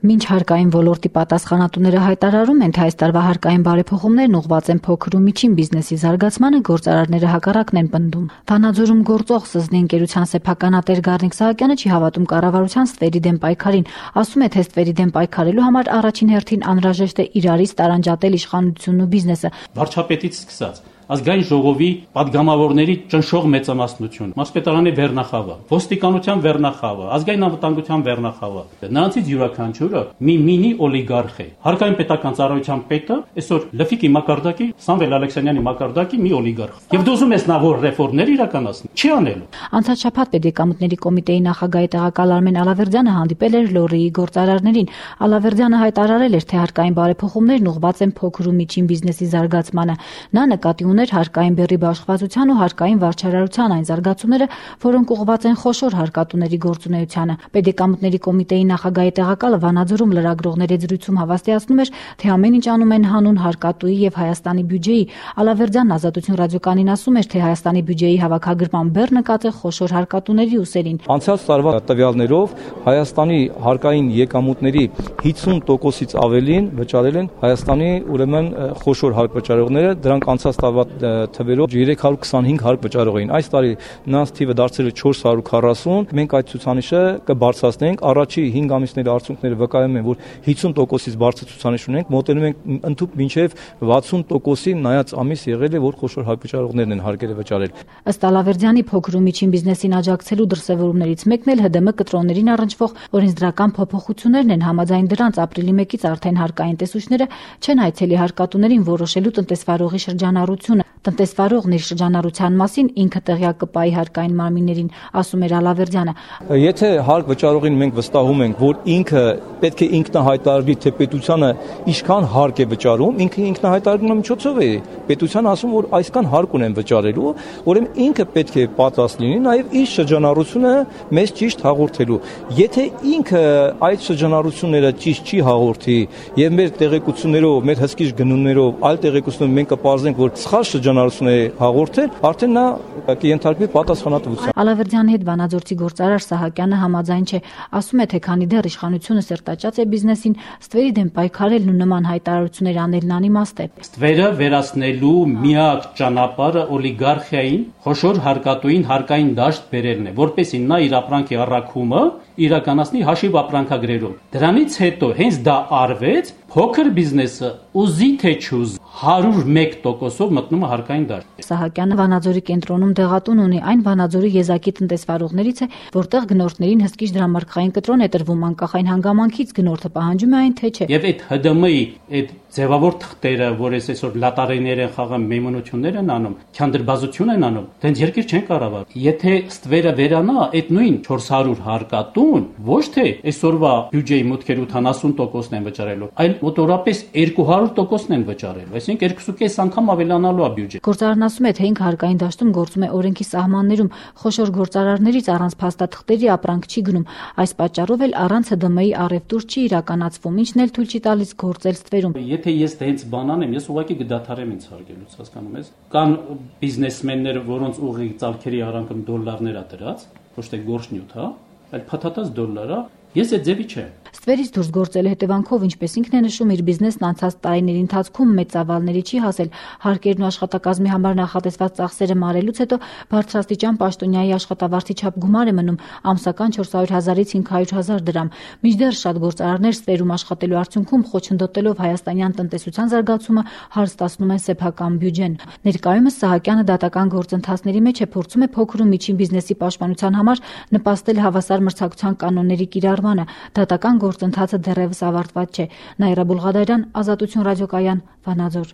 Մինչ հարկային ոլորտի պատասխանատուները հայտարարում են, թե այս տարվա հարկային բարեփոխումներն ուղղված են փոքր ու միջին բիզնեսի զարգացմանը, գործարարները հակառակն են պնդում։ Վանաձորում գործող ՍԶՆԻ ընկերության սեփականատեր Գառնիկ Սահակյանը չի հավատում կառավարության ստվերի դեմ պայքարին, ասում է, թե ստվերի դեմ պայքարելու համար առաջին հերթին անհրաժեշտ է իրարից տարանջատել իշխանությունն ու բիզնեսը։ Վարչապետից սկսած ազգային ժողովի падգամավորների ճնշող մեծամասնություն, մարզպետարանի վերնախավը, ոստիկանության վերնախավը, ազգային անվտանգության վերնախավը, նրանցից յուրաքանչյուրը մի մինի օլիգարխ է։ Հարկային պետական ծառայության պետը այսօր Լֆիկի մակարդակի, Սամվել Ալեքսանյանի մակարդակի մի օլիգարխ։ Եվ դուզում ես նա որ ռեֆորմներ իրականացնի, չի անելու։ Անցած շաբաթ Պետեկամուտների կոմիտեի նախագահի տեղակալ Արմեն Ալավերդյանը հանդիպել էր Լոռիի գործարարներին։ Ալավերդյանը հայտարարել էր, թե հարկային բարեփոխումներն ուղղված են փոքր ու միջին բիզնեսի զարգացմանը։ Նա նկատի ուներ հարկային բեռի բաշխվածության ու հարկային վարչարարության այն զարգացումները, որոնք ուղղված են խոշոր հարկատուների գործունեությանը։ Պետեկամուտների կոմիտեի նախագահի տեղակալը Վանաձորում լրագրողների զրույցում հավաստիացնում էր, թե ամեն ինչ անում են հանուն հարկատուի եւ Հայաստանի բյուջեի։ Ալավերդյանն Ազատություն ռադիոկայանին ասում էր, թե Հայաստանի բյուջեի հավաքագրման բեռը նկատի խոշոր հարկատուների ուսերին։ Անցյալ տարվա տվյալներով Հայաստանի հարկային եկամուտների 50%-ից ավելին վճարել են Հայաստանի ուրեմն խոշոր հարկվճարողները, դրանք անցած տարվա թվերով 325 հարկ վճարող էին։ Այս տարի նրանց թիվը դարձել է 440։ Մենք այդ ցուցանիշը կբարձրացնենք։ Առաջի 5 ամիսների արդյունքները վկայում են, որ 50%-ից բարձր ցուցանիշ ունենք, մոտենում ենք ընդհանուր մինչև 60%-ի, նայած ամիս եղել է, որ խոշոր հարկվճարողներն են հարկերը վճարել։ Ըստ Ալավերդյանի փոքր ու միջին բիզնեսին աջակցելու դրսևորումներից մեկն էլ ՀԴՄ կտրոններին առնչվող օրենսդրական փոփոխություններն են։ Համաձայն դրանց ապրիլի 1-ից արդեն հարկային տեսուչները չեն այցելի հարկատուներին որոշելու տնտեսվարողի շրջանառությունը։ Տնտեսվարողն իր շրջանառության մասին ինքը տեղյակ կպայի հարկային մարմիններին, ասում էր Ալավերդյանը։ Եթե հարկ վճարողին մենք վստահում ենք, որ ինքը պետք է ինքնահայտարարի, թե պետությանը ինչքան հարկ է վճարում, ինքը ինքնահայտարարման միջոցով է պետության ասում, որ այսքան հարկ ունեն վճարելու, ուրեմն ինքը պետք է պատրաստ լինի նաև իր շրջանառությունը մեզ ճիշտ հաղորդելու։ Եթե ինքը այդ շրջանառությունները ճիշտ չի հաղորդի եւ մեր տեղեկություններով, մեր հսկիչ գնումներով, այլ տեղեկություններով մենք կպարզենք, որ սխալ շրջանառություն է հաղորդել, արդեն նա կենթարկվի պատասխանատվության։ Ալավերդյանի հետ Վանաձորցի գործարար Սահակյանը համաձայն չէ, ասում է, թե քանի դեռ իշխանությունը սերտաճած է բիզնեսին, ստվերի դեմ պայքարելն ու նման հայտարարություններ անելն անիմաստ է։ Ստվերը վերացնելու միակ ճանապարհը օլիգարխիային, խոշոր հարկատուին հարկային դաշտ բերելն է, որպեսզի նա իր ապրանքի առաքումը իրականացնի հաշիվ ապրանքագրերով։ Դրանից հետո հենց դա արվեց, փոքր բիզնեսը ուզի թե չուզի 101%-ով մտնում է հարկային դաշտ։ Սահակյանը Վանաձորի կենտրոնում դեղատուն ունի, այն Վանաձորի եզակի տնտեսվարողներից է, որտեղ գնորդներին հսկիչ դրամարկղային կտրոն է տրվում, անկախ այն հանգամանքից գնորդը պահանջում է այն թե չէ։ Եվ այդ ՀԴՄ-ի այդ ձևավոր թղթերը, որ այսօր լատարիներ են խաղում, մեյմունություններ են անում, քանդրբազություն են անում, դենց երկիր չեն կառավարում։ Եթե ստվերը վերանա, այդ նույն 400 հարկատուն ոչ թե այսօրվա բյուջեի մուտքերի 80%-ն են վճարելու, այլ մոտորապես 200%-ն են վճարելու, այսինքն 2.5 անգամ ավելանալու է բյուջեն։ Գործարարն ասում է, թե ինքը հարկային դաշտում գործում է օրենքի սահմաններում, խոշոր գործարարներից առանց փաստաթղթերի ապրանք չի գնում, այս պատճառով էլ առանց ՀԴՄ-ի առևտուր չի իրականացվում, ինչն էլ թույլ չի տալիս գործել ստվերում։ Եթե ես հենց բան անեմ, ես ուղղակի կդադարեմ ինձ հարգելուց, հասկանում ես։ Կան բիզնեսմեններ, որոնց ուղիղ ծալքերի արանքում դոլարներ է դրած, ոչ թե գործնյութ, այլ փաթաթած դոլար է։ Ես այդ ձևի չեմ։ Ստվերից դուրս գործելու հետևանքով, ինչպես ինքն է նշում, իր բիզնեսն անցած տարիների ընթացքում մեծ ծավալների չի հասել։ Հարկերն ու աշխատակազմի համար նախատեսված ծախսերը մարելուց հետո բարձրաստիճան պաշտոնյայի աշխատավարձի չափ գումար է մնում, ամսական 400,000-ից 500,000 դրամ։ Մինչդեռ շատ գործարարներ ստվերում աշխատելու արդյունքում խոչընդոտելով հայաստանյան տնտեսության զարգացումը հարստացնում են սեփական բյուջեն։ Ներկայումս Սահակյանը դատական գործընթացների մեջ է, փորձում է փոքր ու միջին բիզնեսի պաշտպանության համար նպաստել հավասար մրցակցության կանոնների կիրառմանը։ Դատական գործընթացը դեռևս ավարտված չէ։ Նաիրա Բուլղադարյան, Ազատություն ռադիոկայան, Վանաձոր։